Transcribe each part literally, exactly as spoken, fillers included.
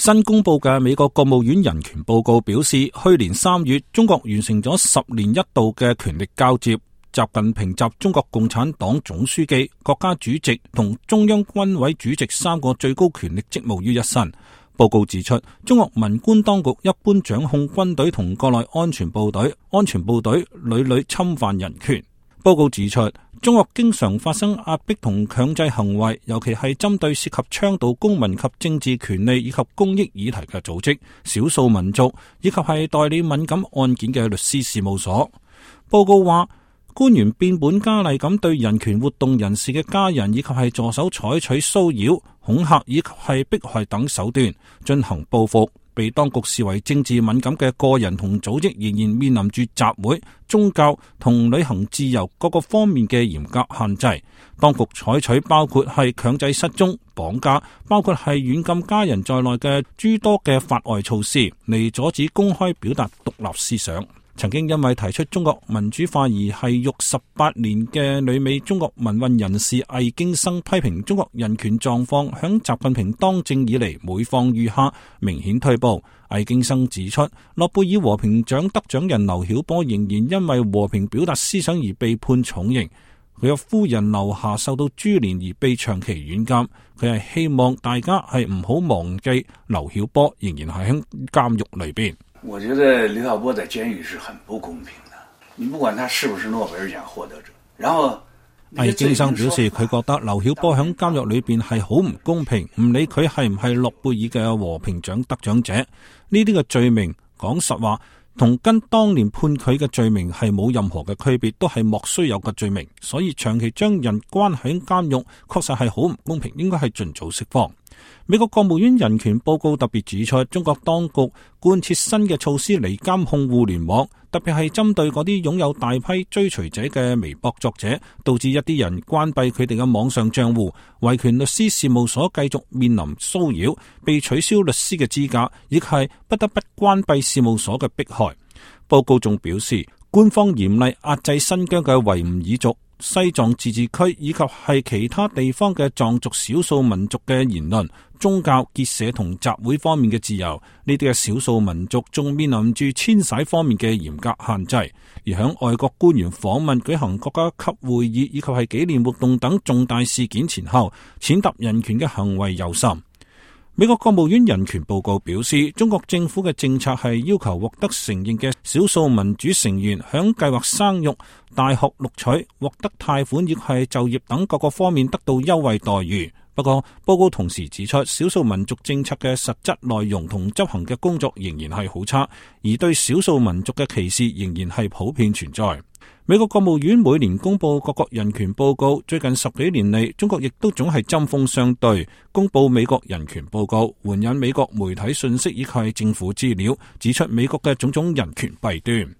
新公布嘅美國國務院人權報告表示，去年三月中國完成咗十年一度嘅權力交接，習近平集中國共產黨總書記、國家主席同中央軍委主席三個最高權力職務於一身。報告指出，中國文官當局一般掌控軍隊同國內安全部隊，安全部隊屢屢侵犯人權。報告指出，中國經常發生壓迫同強制行為，尤其係針對涉及倡導公民及政治權利以及公益議題嘅組織、少數民族以及係代理敏感案件嘅律師事務所。報告話，官員變本加厲咁對人權活動人士嘅家人以及係助手採取騷擾、恐嚇以及係迫害等手段進行報復。被當局視為政治敏感嘅個人同組織仍然面臨住集會、宗教同旅行自由各個方面嘅嚴格限制。當局採取包括係強制失蹤、綁架，包括係軟禁家人在內嘅諸多嘅法外措施，嚟阻止公開表達獨立思想。曾經因為提出中國民主化而係獄十八年嘅旅美中國民運人士魏京生批評中國人權狀況響習近平當政以嚟每況愈下，明顯退步。魏京生指出，諾貝爾和平獎得獎人劉曉波仍然因為和平表達思想而被判重刑，佢嘅夫人劉霞受到株連而被長期軟禁。佢係希望大家係唔好忘記劉曉波仍然係喺監獄裏邊。我覺得劉曉波在監獄是很不公平的，你不管他是不是諾貝爾獎獲得者。然後魏京生表示，佢覺得劉曉波喺監獄裏邊係好唔公平，唔理佢係唔係諾貝爾嘅和平獎得獎者，呢啲嘅罪名講實話同跟當年判佢嘅罪名係冇任何嘅區別，都係莫須有嘅罪名，所以長期將人關喺監獄確實係好唔公平，應該係盡早釋放。美國國務院人權報告特別指出，中國當局貫徹新嘅措施嚟監控互聯網，特別係針對嗰啲擁有大批追隨者嘅微博作者，導致一啲人關閉佢哋嘅網上賬戶，維權律師事務所繼續面臨騷擾，被取消律師嘅資格，亦係不得不關閉事務所嘅迫害。報告仲表示，官方嚴厲壓制新疆嘅維吾爾族、西藏自治區以及係其他地方嘅藏族少數民族嘅言論、宗教結社同集會方面嘅自由，呢啲嘅少數民族仲面臨住遷徙方面嘅嚴格限制。而響外國官員訪問、舉行國家級會議以及係紀念活動等重大事件前後，踐踏人權嘅行為尤甚。美國國務院人權報告表示，中國政府嘅政策係要求獲得承認嘅少數民主成員響計劃生育、大學錄取、獲得貸款亦係就業等各個方面得到優惠待遇。不過，報告同時指出，少數民族政策嘅實質內容同執行嘅工作仍然係好差，而對少數民族嘅歧視仍然係普遍存在。美國國務院每年公布各國人權報告，最近十幾年嚟，中國亦都總係針鋒相對，公布美國人權報告，援引美國媒體信息以及政府資料，指出美國嘅種種人權弊端。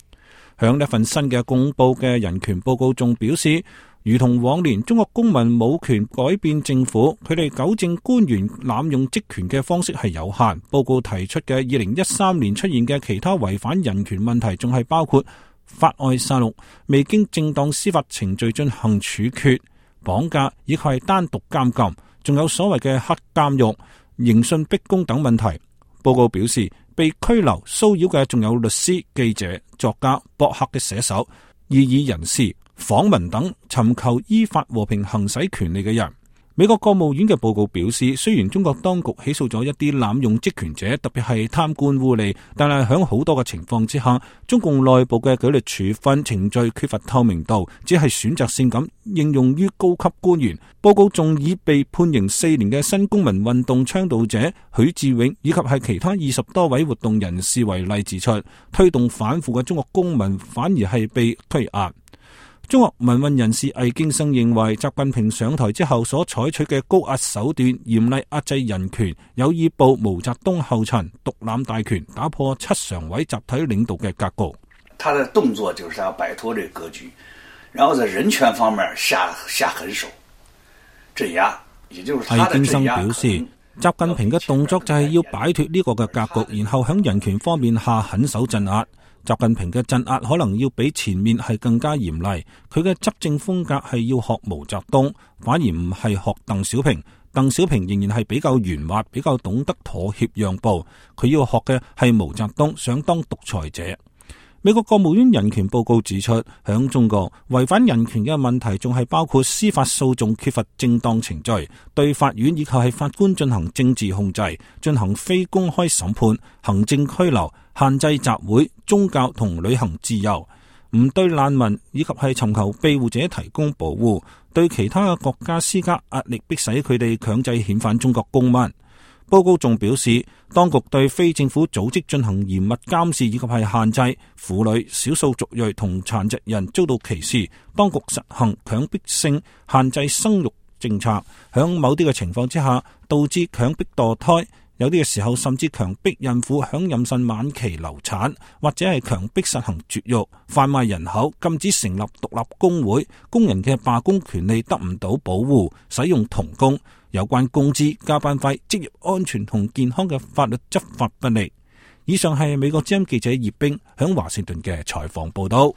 響呢份新嘅公布嘅人權報告仲表示，如同往年，中國公民冇權改變政府，佢哋糾正官員濫用職權嘅方式係有限。報告提出嘅二零一三年出現嘅其他違反人權問題，仲係包括法外殺戮、未經正當司法程序進行處決、綁架以及係單獨監禁，仲有所謂嘅黑監獄、刑訊逼供等問題。報告表示，被拘留、騷擾嘅仲有律師、記者、作家、博客嘅寫手、異議人士、訪民等尋求依法和平行使權利嘅人。美國國務院嘅報告表示，雖然中國當局起訴咗一啲濫用職權者，特別係貪官污吏，但係喺好多嘅情況之下，中共內部嘅紀律處分程序缺乏透明度，只係選擇性咁應用於高級官員。報告仲以被判刑四年嘅新公民運動倡導者許志永以及係其他二十多位活動人士為例，指出推動反腐嘅中國公民反而係被推壓。中國民運人士魏京生認為，習近平上台之後所採取嘅高壓手段，嚴厲壓制人權，有意步毛澤東後塵，獨攬大權，打破七常委集體領導嘅格局。他的動作就是要擺脫這個格局，然後在人權方面下下狠手鎮壓，也就是他的鎮壓。魏京生表示，習近平嘅動作就係要擺脫呢個嘅格局，然後響人權方面下狠手鎮壓。習近平嘅鎮壓可能要比前面係更加嚴厲，佢嘅執政風格係要學毛澤東，反而唔係學鄧小平。鄧小平仍然係比較圓滑，比較懂得妥協讓步。佢要學嘅係毛澤東想當獨裁者。美國國務院人權報告指出，響中國違反人權嘅問題仲係包括司法訴訟缺乏正當程序，對法院以及係法官進行政治控制，進行非公開審判、行政拘留、限制集會、宗教同旅行自由，唔對難民以及係尋求庇護者提供保護，對其他嘅國家施加壓力，迫使佢哋強制遣返中國公民。報告仲表示，當局對非政府組織進行嚴密監視以及係限制，婦女、少數族裔同殘疾人遭到歧視。當局實行強迫性限制生育政策，響某啲嘅情況之下，導致強迫墮胎，有啲嘅時候甚至強迫孕婦響妊娠晚期流產，或者係強迫實行絕育、販賣人口，禁止成立獨立工會，工人嘅罷工權利得唔到保護，使用童工。有關工資、加班費、職業安全同健康嘅法律執法不力。以上係美國之音記者葉冰響華盛頓嘅採訪報道。